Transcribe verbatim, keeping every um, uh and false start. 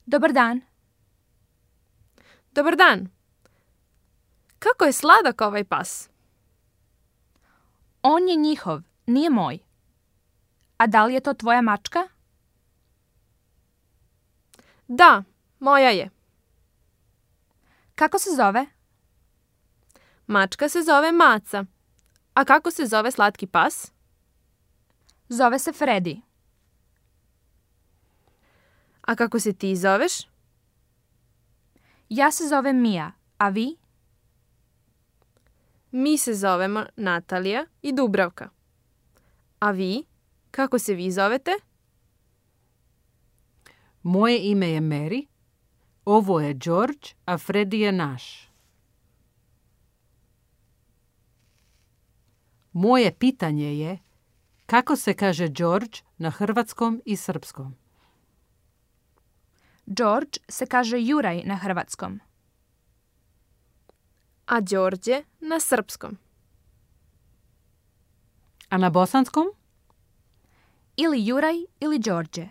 Dobar dan. Dobar dan. Kako je sladak ovaj pas? On je njihov, nije moj. A da li je to tvoja mačka? Da, moja je. Kako se zove? Mačka se zove Maca. A kako se zove slatki pas? Zove se Freddy. A kako se ti zoveš? Ja se zovem Mia, a vi? Mi se zovemo Natalija i Dubravka. A vi? Kako se vi zovete? Moje ime je Mary, ovo je George, a Freddy je naš. Moje pitanje je kako se kaže George na hrvatskom i srpskom? George se kaže Juraj na hrvatskom. A Đorđe na srpskom. A na bosanskom? Ili Juraj ili Đorđe.